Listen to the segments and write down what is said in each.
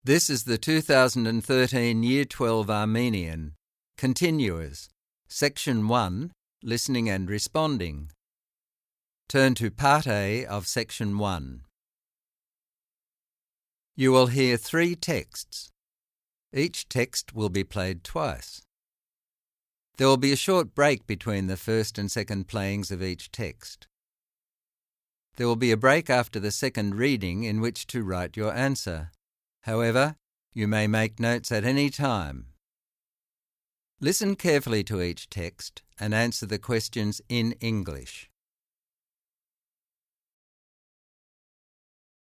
This is the 2013 Year 12 Armenian, Continuous, Section 1, Listening and Responding. Turn to Part A of Section 1. You will hear 3 texts. Each text will be played twice. There will be a short break between the first and second playings of each text. There will be a break after the second reading in which to write your answer. However, you may make notes at any time. Listen carefully to each text and answer the questions in English.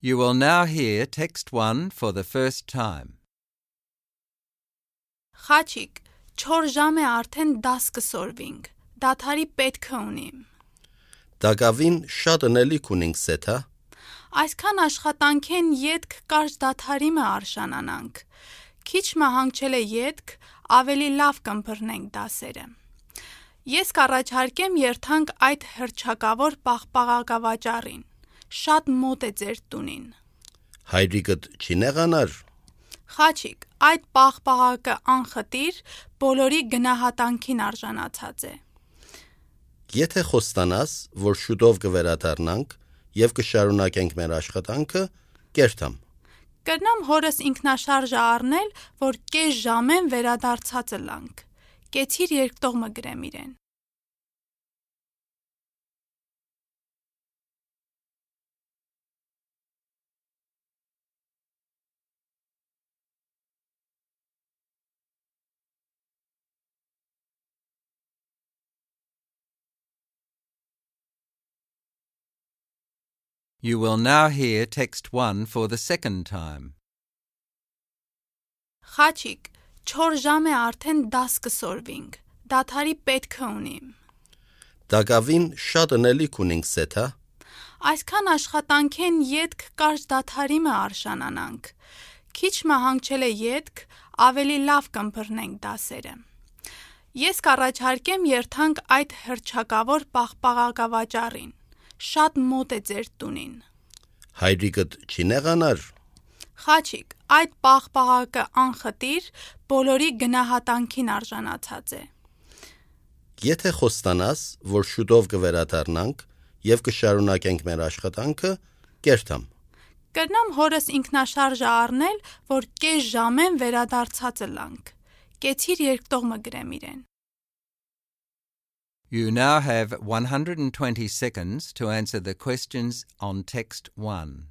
You will now hear text 1 for the first time. Խաչիկ, 4 ժամ է արդեն դաս կսորվինք, դադարի պետքը ունիմ։ Դակավին շատ ընելիք ունենք սեթա։ Այսքան աշխատանքեն ետք կարճ դադարիմը արշանանանք։ Քիչ մահանգչել է ետք, ավելի լավ կմբռնենք դասերը։ Ես կառաջարկեմ երթանք այդ հռչակավոր պաղպաղակավաճառին։ Շատ մոտ է ձեր տունին։ Հայրիկդ չի նեղանար։ Խաչիկ, այդ պաղպաղակը անխտիր բոլորի գնահատանքին արժանացած է։ Եթե խոստանաս, որ շուտով կվերադառնանք եւ կշարունակենք մեր աշխատանքը, կերտամ։ Կրնամ հորս ինքնաշարժը առնել, որ կես ժամեն վերադարձածը լանք։ Կեցիր երկտողմը գրեմ իրեն։ You will now hear text 1 for the second time. Խաչիկ, 4 ժամ է արդեն դաս կսորվինք, դադարի պետքը ունիմ։ Դակավին շատ ընելիք ունենք սեթա։ Այսքան աշխատանքեն ետք կարճ դադարիմը արշանանանք։ Քիչ մահանգչել է ետք, ավելի լավ կմբռնենք դասերը։ Ես կառաջարկեմ երթանք այդ հռչակավոր պաղպաղակավաճառին։ Շատ մոտ է ձեր տունին։ Հայրիկդ չի նեղանար։ Խաչիկ, այդ պաղպաղակը անխտիր բոլորի գնահատանքին արժանացած է։ Եթե խոստանաս, որ շուտով կվերադառնանք եւ կշարունակենք մեր աշխատանքը, կերտամ։ Կրնամ հորս ինքնաշարժը առնել, որ կես ժամեն վերադարձածը լանք։ Կեցիր երկտողմը գրեմ իրեն։ You now have 120 seconds to answer the questions on text 1.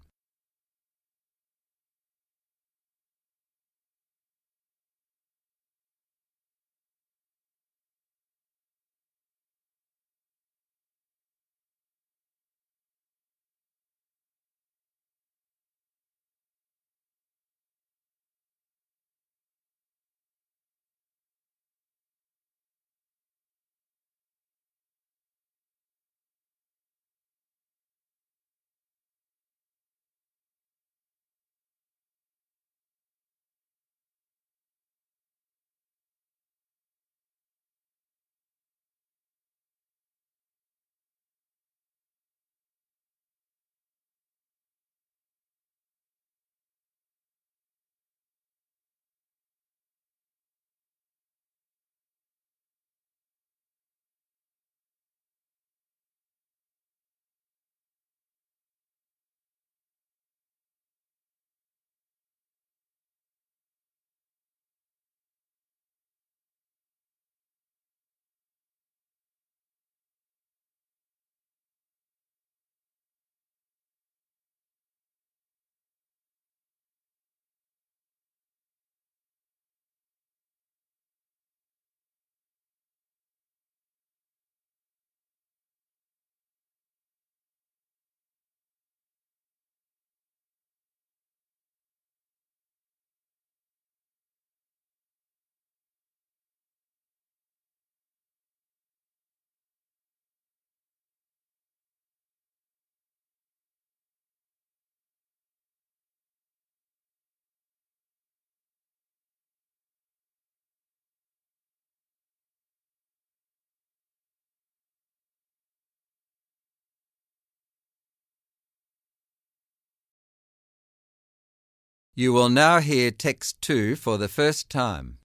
You will now hear text 2 for the first time.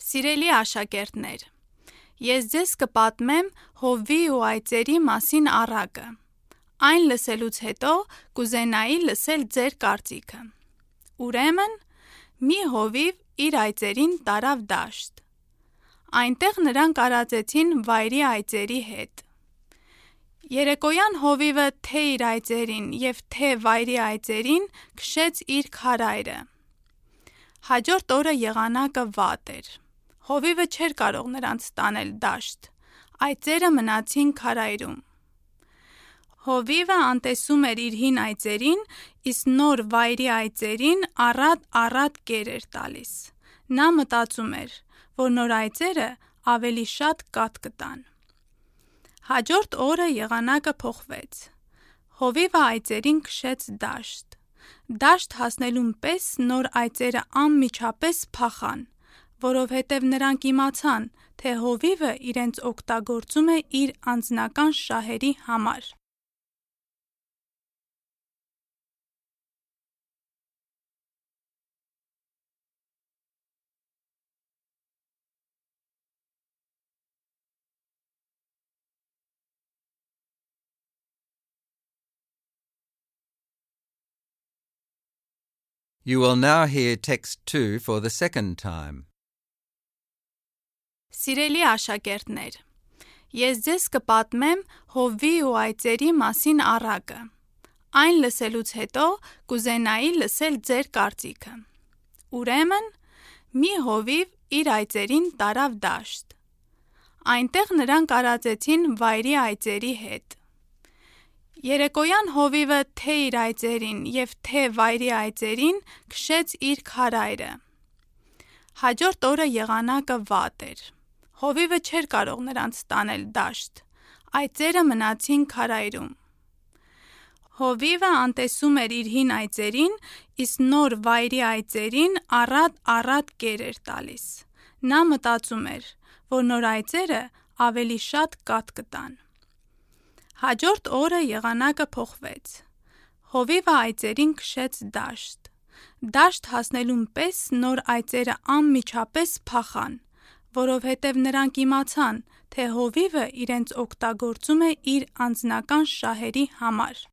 Սիրելի աշակերտներ, ես ձեզ կպատմեմ հովվի ու այծերի մասին առակը։ Այն լսելուց հետո կուզենայի լսել ձեր կարծիքը։ Ուրեմն, մի հովիվ իր այծերին տարավ դաշտ։ Այնտեղ նրանք արածեցին վայրի այծերի հետ։ Երեկոյան հովիվը թե իր այծերին և թե վայրի այծերին քշեց իր քարայրը։ Հաջորդ օրը եղանակը վատ էր։ Հովիվը չէր կարող նրանց տանել դաշտ։ Այծերը մնացին քարայրում։ Հովիվը անտեսում էր իր հին այծերին, իսկ նոր վայրի այծերին առատ կեր էր տալիս։ Նա մտածում էր, որ նոր այծերը ավելի շատ կաթ կտան։ Հաջորդ օրը եղանակը փոխվեց։ Հովիվը այծերին քշեց դաշտ։ Դաշտ հասնելուն պես նոր այծերը անմիջապես փախան, որովհետև նրանք իմացան, թե հովիվը իրենց օգտագործում է իր անձնական շահերի համար։ You will now hear text 2 for the second time. Սիրելի աշակերտներ, ես ձեզ կպատմեմ հովվի ու այծերի մասին առակը։ Այն լսելուց հետո կուզենայի լսել ձեր կարծիքը։ Ուրեմն, մի հովիվ իր այծերին տարավ դաշտ։ Այնտեղ նրանք արածեցին վայրի այծերի հետ։ Երեկոյան հովիվը թե իր այծերին և թե վայրի այծերին քշեց իր քարայրը։ Հաջորդ օրը եղանակը վատ էր։ Հովիվը չէր կարող նրանց տանել դաշտ։ Այծերը մնացին քարայրում։ Հովիվը անտեսում էր իր հին այծերին, իսկ նոր վայրի այծերին առատ կեր էր տալիս։ Նա մտածում էր, որ նոր այծերը ավելի շատ կաթ կտան։ Հաջորդ օրը եղանակը փոխվեց։ Հովիվը այծերին քշեց դաշտ։ Դաշտ հասնելուն պես նոր այծերը անմիջապես փախան, որովհետև նրանք իմացան, թե հովիվը իրենց օգտագործում է իր անձնական շահերի համար։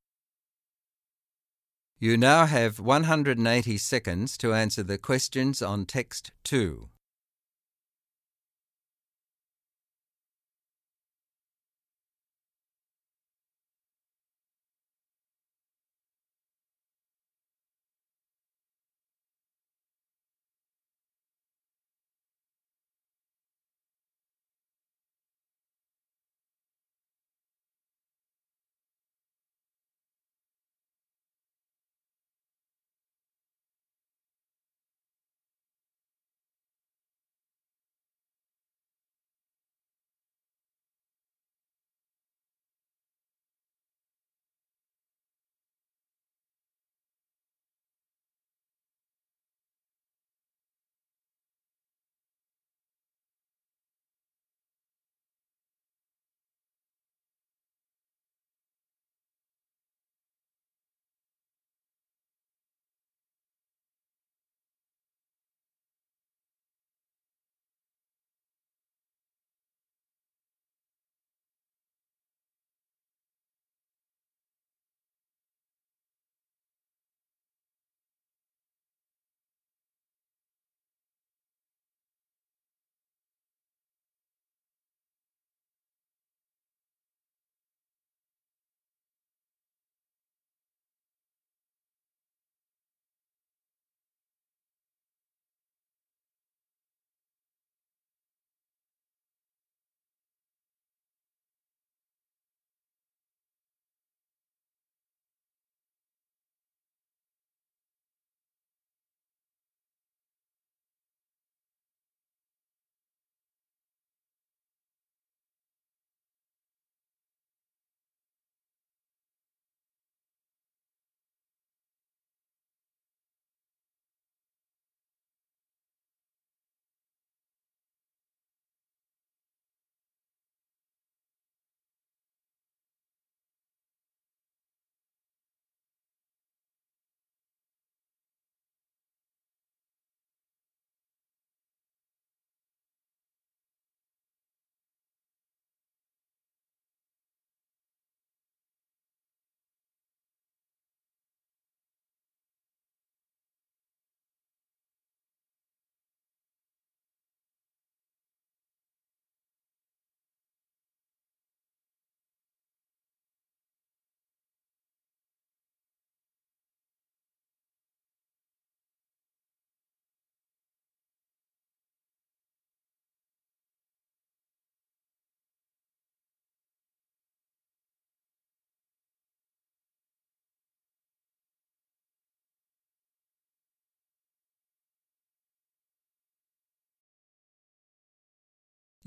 You now have 180 seconds to answer the questions on text 2.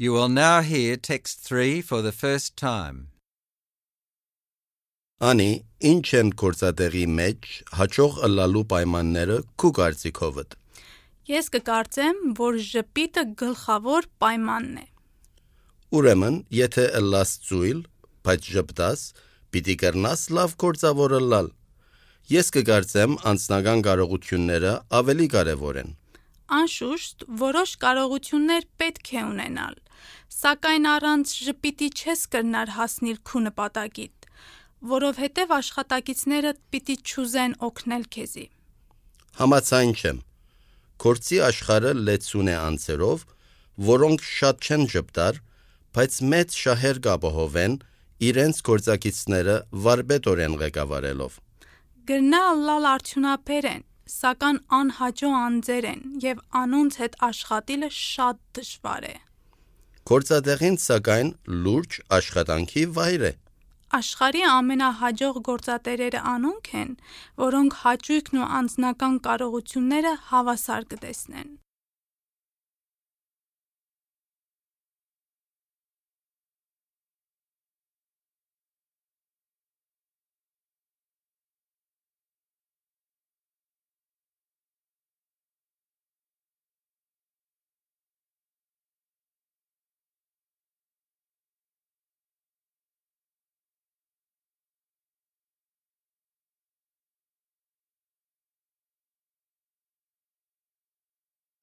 You will now hear text 3 for the first time. Անի, ինչ են գործատեղի մեջ հաջող ըլլալու պայմանները քու կարծիքովդ։ Ես կկարծեմ, որ ժպիտը գլխավոր պայմանն է։ Ուրեմն, եթե ըլլաս ծույլ, բայց ժպտաս, պիտի կրնաս լավ գործավոր ըլլալ։ Ես կկարծեմ անձնական կարողությունները ավելի կարևոր են։ Անշուշտ, որոշ կարողություններ պետք է ունենալ, սակայն առանց ժպիտի չես կրնար հասնել քու նպատակիդ, որովհետև աշխատակիցներդ պիտի չուզեն օգնել քեզի։ Համաձայն չեմ։ Գործի աշխարհը լեցուն է անձերով, որոնք շատ չեն ժպտար, բայց մեծ շահեր կապահովեն իրենց գործակիցները վարպետորեն ղեկավարելով։ Գրնա ըլլալ արդյունաբեր են, սակայն անհաջո անձեր են և անոնց հետ աշխատելը շատ դժվար է։ Գործատեղին սակայն լուրջ աշխատանքի վայր է։ Աշխարհի ամենահաջող գործատերերը անոնք են, որոնք հաճույքն ու անձնական կարողությունները հավասար կտեսնեն։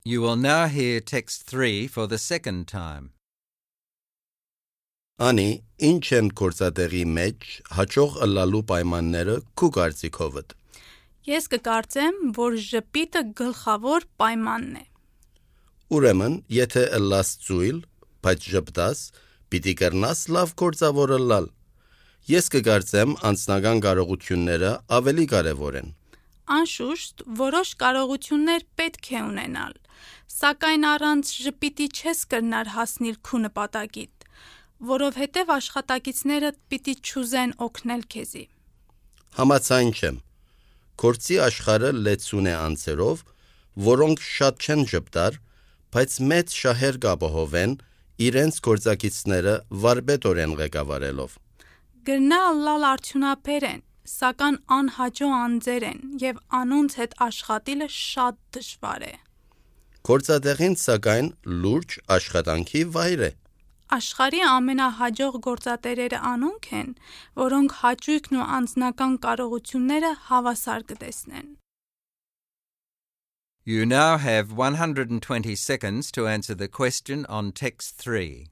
You will now hear text 3 for the second time. Անի, ինչ են գործատեղի մեջ հաջող ըլլալու պայմանները քու կարծիքովդ։ Ես կկարծեմ, որ ժպիտը գլխավոր պայմանն է։ Ուրեմն, եթե ըլլաս ծույլ, բայց ժպտաս, պիտի կրնաս լավ գործավոր ըլլալ։ Ես կկարծեմ անձնական կարողությունները ավելի կարևոր են։ Անշուշտ, որոշ կարողություններ պետք է ունենալ, սակայն առանց ժպիտի չես կրնար հասնել քու նպատակիդ, որովհետև աշխատակիցներդ պիտի չուզեն օգնել քեզի։ Համաձայն չեմ։ Գործի աշխարհը լեցուն է անձերով, որոնք շատ չեն ժպտար, բայց մեծ շահեր կապահովեն իրենց գործակիցները վարպետորեն ղեկավարելով։ Գրնա ըլլալ արդյունաբեր են, սակայն անհաջո անձեր են և անոնց հետ աշխատելը շատ դժվար է։ Գործատեղին սակայն լուրջ աշխատանքի վայր է։ Աշխարհի ամենահաջող գործատերերը անոնք են, որոնք հաճույքն ու անձնական կարողությունները հավասար կտեսնեն։ You now have 120 seconds to answer the question on text 3.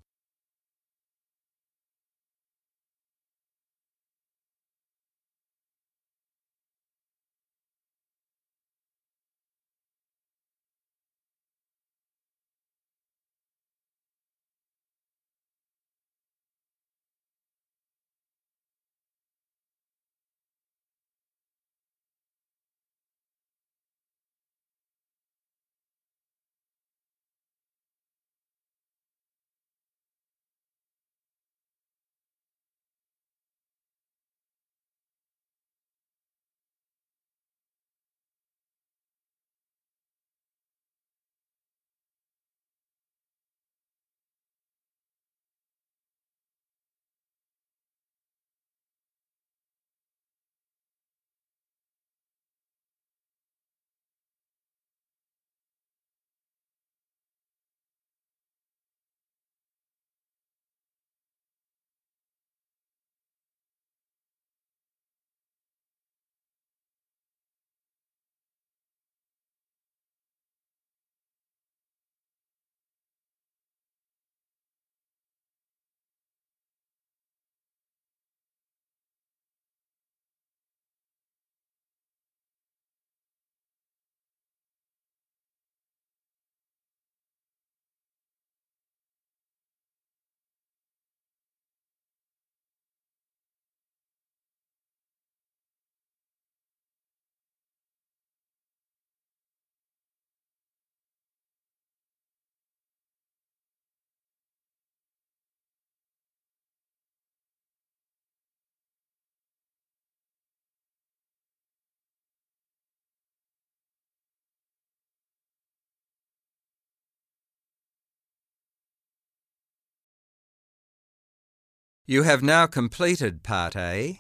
You have now completed Part A.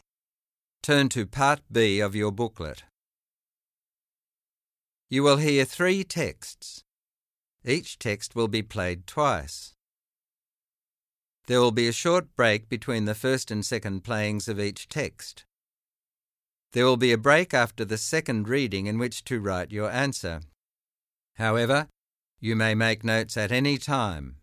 Turn to Part B of your booklet. You will hear 3 texts. Each text will be played twice. There will be a short break between the first and second playings of each text. There will be a break after the second reading in which to write your answer. However, you may make notes at any time.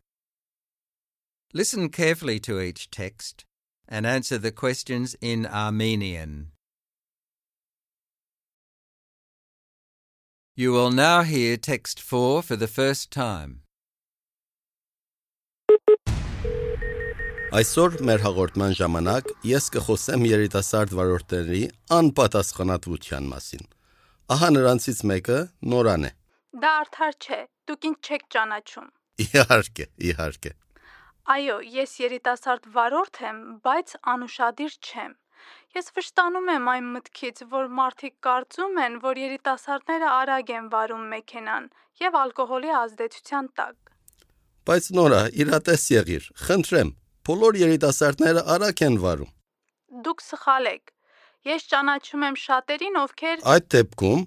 Listen carefully to each text and answer the questions in Armenian. You will now hear text 4 for the first time. Այսօր մեր հաղորդման ժամանակ ես կխոսեմ երիտասարդ վարորդների անպատասխանատվության մասին։ Ահա նրանցից մեկը Նորան է։ Դա արդար չէ, դուք ինձ չեք ճանաչում։ Իհարկե։ Այո, ես երիտասարդ վարորդ եմ, բայց անուշադիր չեմ։ Ես վշտանում եմ այն մտքից, որ մարդիկ կարծում են, որ երիտասարդները արագ են վարում մեքենան եւ ալկոհոլի ազդեցության տակ։ Բայց Նորա, իրատես եղիր, խնդրեմ, բոլոր երիտասարդները արագ են վարում։ Դուք սխալ եք։ Ես ճանաչում եմ շատերին, ովքեր Այդ դեպքում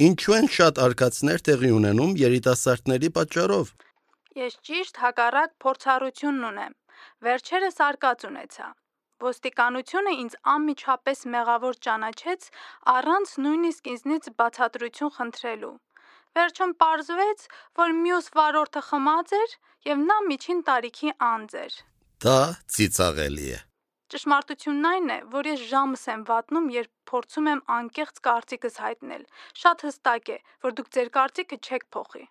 ինչու են շատ արկածներ տեղի ունենում երիտասարդների պատճառով։ Ես ճիշտ հակառակ փորձառությունն ունեմ։ Վերջերս արկած ունեցա։ Ոստիկանությունը ինձ անմիջապես մեղավոր ճանաչեց առանց նույնիսկ ինձնից բացատրություն խնդրելու։ Վերջում պարզվեց, որ մյուս վարորդը խմած էր եւ նա միջին տարիքի անձ էր։ Դա ծիծաղելի է։ Ճշմարտությունն այն է, որ ես ժամս եմ վատնում, երբ փորձում եմ անկեղծ կարծիքս հայտնել։ Շատ հստակ է, որ դուք ձեր կարծիքը չեք փոխի։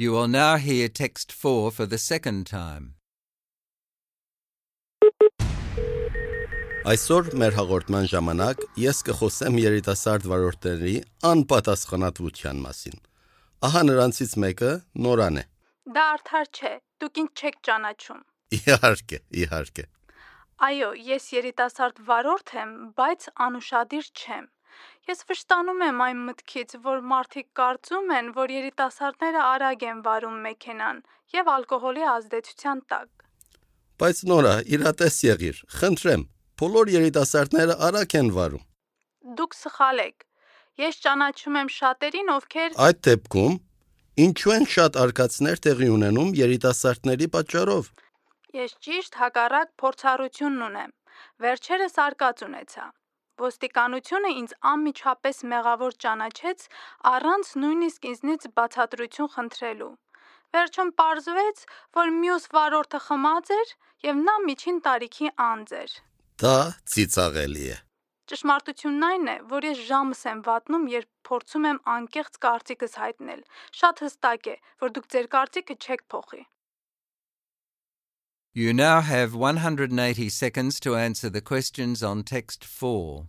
You will now hear text 4 for the second time. Այսօր մեր հաղորդման ժամանակ ես կխոսեմ երիտասարդ վարորդների անպատասխանատվության մասին։ Ահա նրանցից մեկը Նորան է։ Դա արդար չէ, դուք ինձ չեք ճանաչում։ Իհարկե։ Այո, ես երիտասարդ վարորդ եմ, բայց անուշադիր չեմ։ Ես վշտանում եմ այն մտքից, որ մարդիկ կարծում են, որ երիտասարդները արագ են վարում մեքենան եւ ալկոհոլի ազդեցության տակ։ Բայց Նորա, իրատես եղիր, խնդրեմ, բոլոր երիտասարդները արագ են վարում։ Դուք սխալ եք։ Ես ճանաչում եմ շատերին, ովքեր Այդ դեպքում ինչու են շատ արկածներ տեղի ունենում երիտասարդների պատճառով։ Ես ճիշտ հակառակ փորձառությունն ունեմ։ Վերջերս արկած ունեցա։ Ոստիկանությունը ինձ անմիջապես մեղավոր ճանաչեց առանց նույնիսկ ինձնից բացատրություն խնդրելու։ Վերջում պարզվեց, որ մյուս վարորդը խմած էր եւ նա միջին տարիքի անձ էր։ Դա ծիծաղելի է։ Ճշմարտությունն այն է, որ ես ժամս եմ վատնում, երբ փորձում եմ անկեղծ կարծիքս հայտնել։ Շատ հստակ է, որ դուք ձեր կարծիքը չեք փոխի։ You now have 180 seconds to answer the questions on text 4.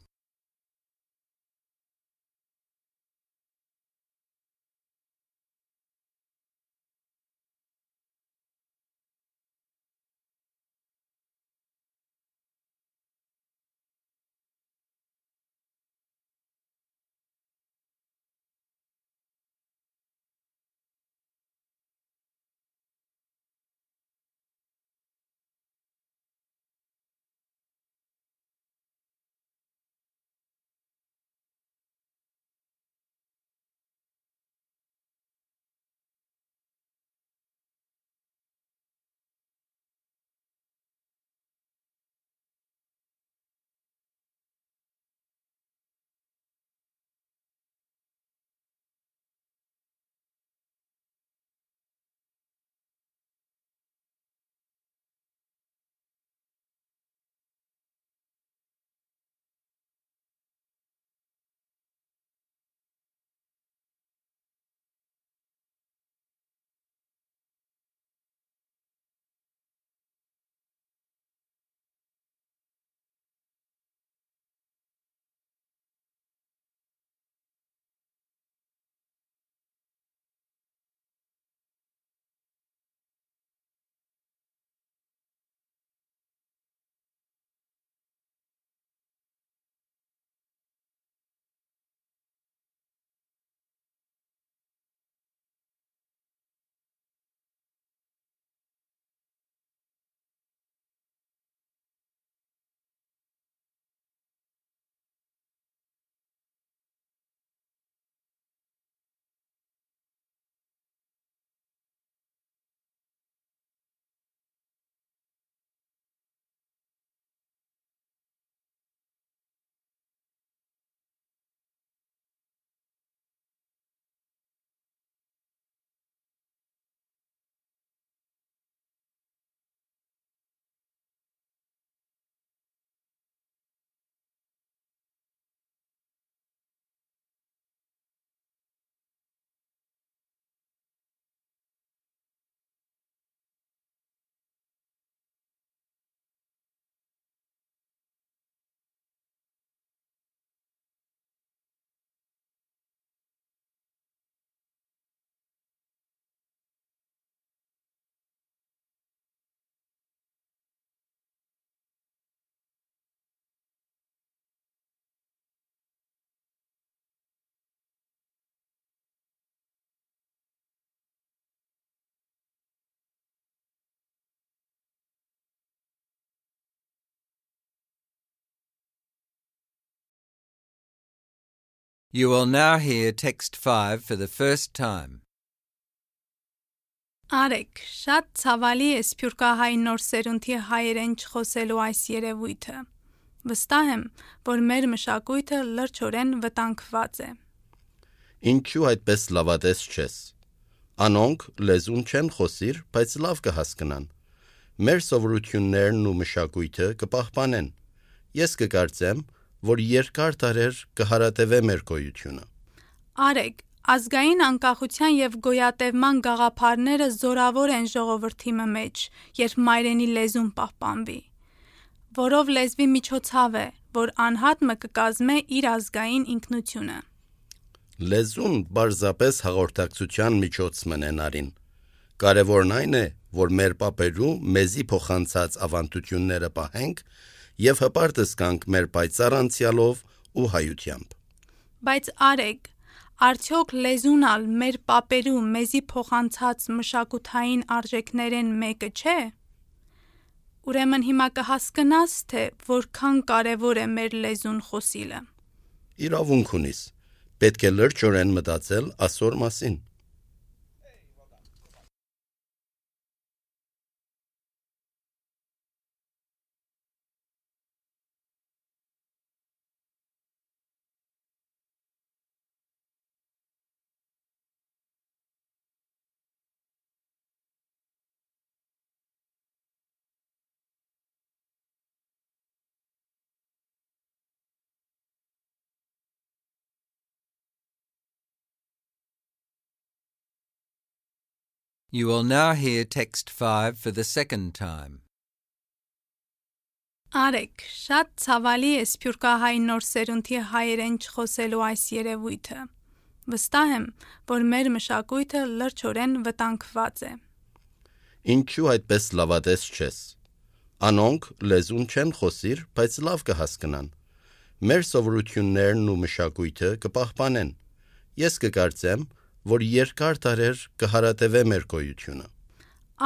You will now hear text 5 for the first time. Արեք, շատ ցավալի է սփյուռքահայ նոր սերունդի հայերեն չխոսելու այս երևույթը։ Վստահ եմ, որ մեր մշակույթը լրջորեն վտանգված է։ Ինչու այդպես լավատես չես։ Անոնք լեզուն չեն խոսիր, բայց լավ կհասկնան։ Մեր սովորություններն ու մշակույթը կպահպանեն։ Ես կկարծեմ, որ երկար դարեր կհարատևե մեր գոյությունը։ Արեք, ազգային անկախության եւ գոյատևման գաղափարները զորավոր են ժողովրդի մեջ, երբ մայրենի լեզուն պահպանվի, որով լեզվի միջոցավ է, որ անհատը կկազմե իր ազգային ինքնությունը։ Լեզուն բարձրապես հաղորդակցության միջոց մնենարին։ Կարևորն այն է, որ մեր պապերու մեզի փոխանցած ավանդությունները պահենք եւ հպարտս կանք մեր պայծառ անցյալով ու հայությամբ։ Բայց արեք, արդյոք լեզունալ մեր պապերու մեզի փոխանցած մշակութային արժեքներեն մեկը չէ։ Ուրեմն հիմա կհասկնաս, թե որքան կարևոր է մեր լեզուն խոսիլը։ Իրավունք ունիս։ Պետք է լրջորեն մտածել ասոր մասին։ You will now hear text 5 for the second time. Արեք, շատ ցավալի է սփյուռքահայ նոր սերունդի հայերեն չխոսելու այս երևույթը։ Վստահ եմ, որ մեր մշակույթը լրջորեն վտանգված է։ Ինչու այդպես լավատես չես։ Անոնք լեզուն չեն խոսիր, բայց լավ կհասկնան։ Մեր սովորություններն ու մշակույթը կպահպանեն։ Ես կկարծեմ, որ երկար դարեր կհարատևե մեր գոյությունը։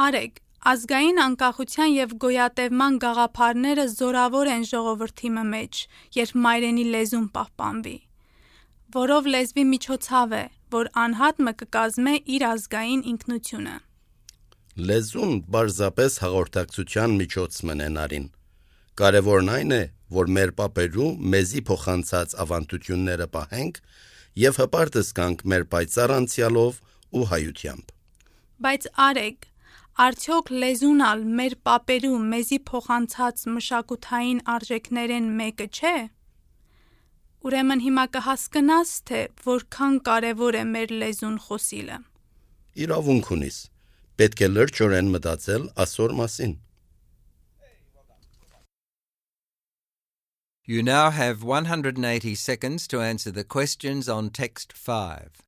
Արեք, ազգային անկախության եւ գոյատևման գաղափարները զորավոր են ժողովրդի մեջ, երբ մայրենի լեզուն պահպանվի, որով լեզվի միջոցավ է, որ անհատը կկազմե իր ազգային ինքնությունը։ Լեզուն բարձրապես հաղորդակցության միջոց մնենարին։ Կարևորն այն է, որ մեր պապերու մեզի փոխանցած ավանդությունները պահենք եւ հպարտս կանք մեր պայծառ անցյալով ու հայությամբ։ Բայց արեք, արդյոք լեզունալ մեր պապերու մեզի փոխանցած մշակութային արժեքներեն մեկը չէ։ Ուրեմն հիմա կհասկնաս, թե որքան կարևոր է մեր լեզուն խոսիլը։ Իրավունք ունիս։ Պետք է լրջորեն մտածել ասոր մասին։ You now have 180 seconds to answer the questions on text 5.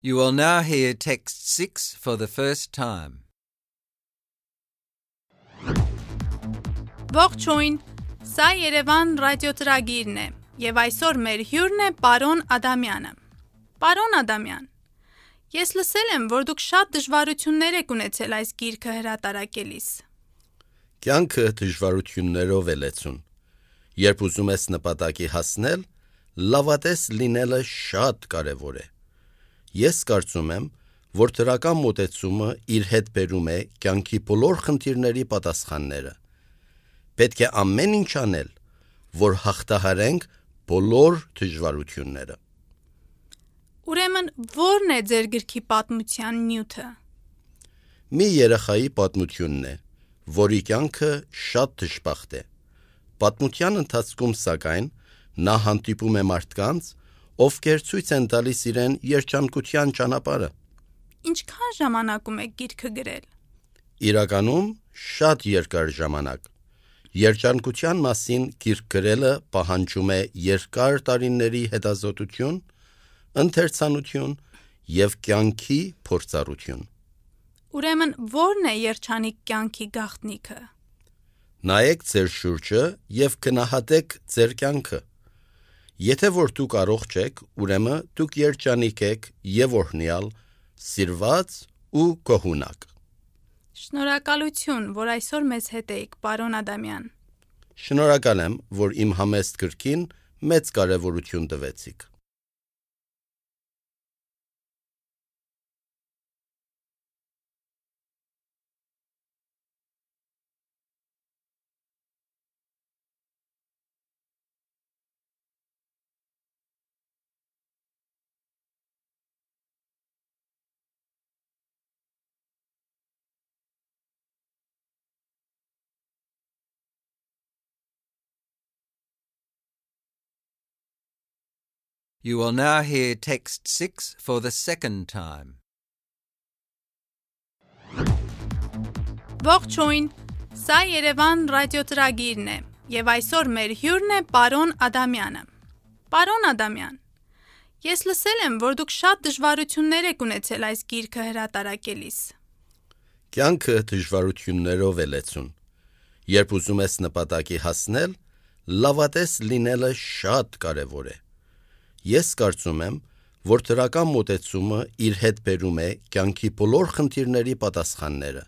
You will now hear text 6 for the first time. Ողջույն, սա Երևան ռադիոծրագիրն է, եւ այսօր մեր հյուրն է պարոն Ադամյանը։ Պարոն Ադամյան, ես լսել եմ, որ դուք շատ դժվարություններ եք ունեցել այս գիրքը հրատարակելիս։ Կյանքը դժվարություններով է լեցուն։ Երբ ուզում ես նպատակի հասնել, լավատես լինելը շատ կարևոր է։ Ես կարծում եմ, որ դրական մոտեցումը իր հետ բերում է կյանքի բոլոր խնդիրների պատասխանները։ Պետք է ամեն ինչ անել, որ հաղթահարենք բոլոր դժվարությունները։ Ուրեմն ո՞րն է ձեր գրքի պատմության նյութը։ Մի երեխայի պատմությունն է, որի կյանքը շատ դժբախտ է։ Պատմության ընթացքում, սակայն, նա հանդիպում է մարդկանց, ովքեր ցույց են տալիս իրեն երջանկության ճանապարհը։ Ինչքան ժամանակում եք գիրքը գրել։ Իրականում շատ երկար ժամանակ։ Երջանկության մասին գիրք գրելը պահանջում է երկար տարիների հետազոտություն, ընթերցանություն և կյանքի փորձառություն։ Ուրեմն ո՞րն է երջանիկ կյանքի գաղտնիքը։ Նայեք ձեր շուրջը և գնահատեք ձեր կյանքը։ Եթե որ դուք առողջ եք, ուրեմն դուք երջանիկ եք և օրհնյալ, սիրված ու գոհունակ։ Շնորհակալություն, որ այսօր մեզ հետ եք, պարոն Ադամյան։ Շնորհակալ եմ, որ իմ համեստ գրքին մեծ կարևորություն տվեցիք։ You will now hear text 6 for the second time. Ողջույն, սա Երևան ռադիոծրագիրն է, եւ այսօր մեր հյուրն է պարոն Ադամյանը։ Պարոն Ադամյան, ես լսել եմ, որ դուք շատ դժվարություններ եք ունեցել այս գիրքը հրատարակելիս։ Կյանքը դժվարություններով է լեցուն։ Երբ ուզում ես նպատակի հասնել, լավատես լինելը շատ կարևոր է։ Ես կարծում եմ, որ դրական մոտեցումը իր հետ բերում է կյանքի բոլոր խնդիրների պատասխանները։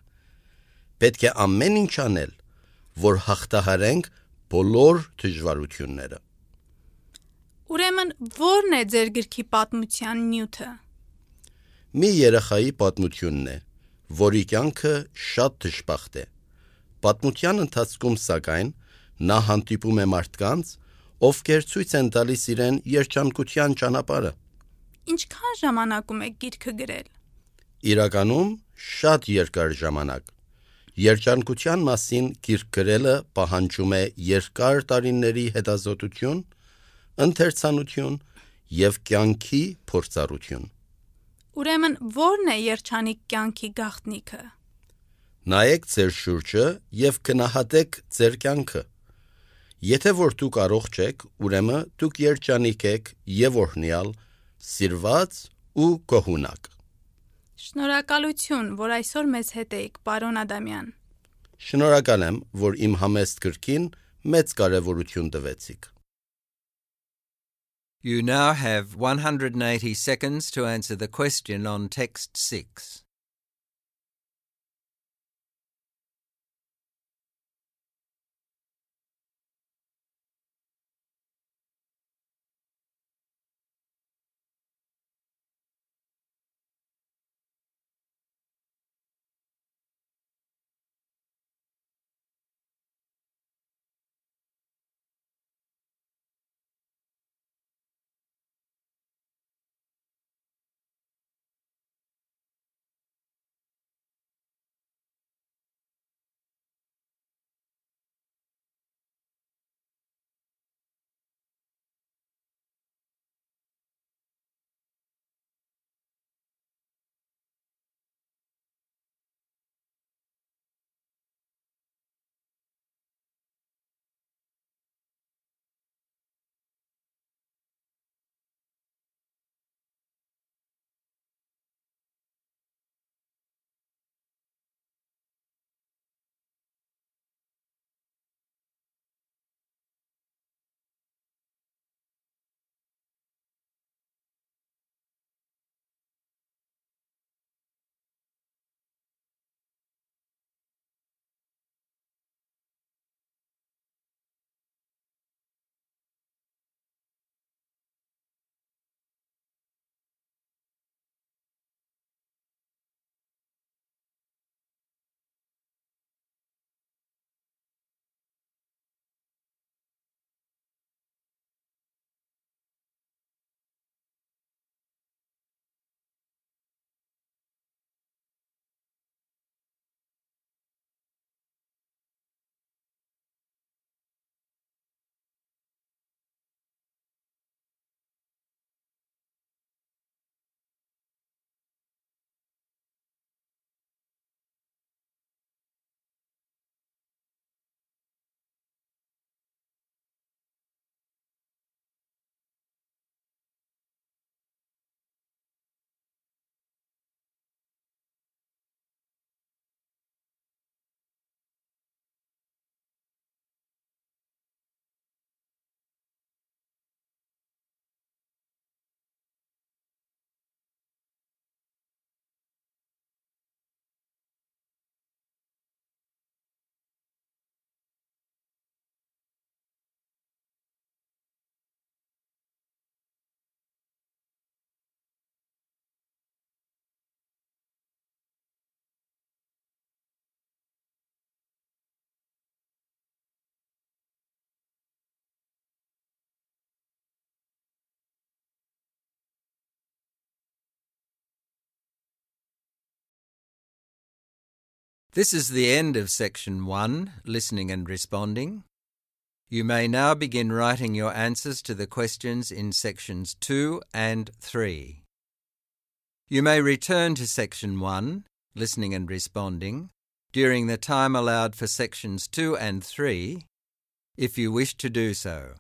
Պետք է ամեն ինչ անել, որ հաղթահարենք բոլոր դժվարությունները։ Ուրեմն ո՞րն է ձեր գրքի պատմության նյութը։ Մի երեխայի պատմությունն է, որի կյանքը շատ դժբախտ է։ Պատմության ընթացքում, սակայն, նա հանդիպում է մարդկանց, ովքեր ցույց են տալիս իրեն երջանկության ճանապարհը։ Ինչքան ժամանակում եք գիրքը գրել։ Իրականում շատ երկար ժամանակ։ Երջանկության մասին գիրք գրելը պահանջում է երկար տարիների հետազոտություն, ընթերցանություն և կյանքի փորձառություն։ Ուրեմն ո՞րն է երջանիկ կյանքի գաղտնիքը։ Նայեք ձեր շուրջը և գնահատեք ձեր կյանքը։ Եթե որ դուք առողջ եք, ուրեմն դուք երջանիկ եք և օրհնյալ, սիրված ու գոհունակ։ Շնորհակալություն, որ այսօր մեզ հետ եք, պարոն Ադամյան։ Շնորհակալ եմ, որ իմ համեստ գրքին մեծ կարևորություն տվեցիք։ You now have 180 seconds to answer the question on text 6. This is the end of section 1, listening and responding. You may now begin writing your answers to the questions in sections 2 and 3. You may return to section 1, listening and responding, during the time allowed for sections 2 and 3, if you wish to do so.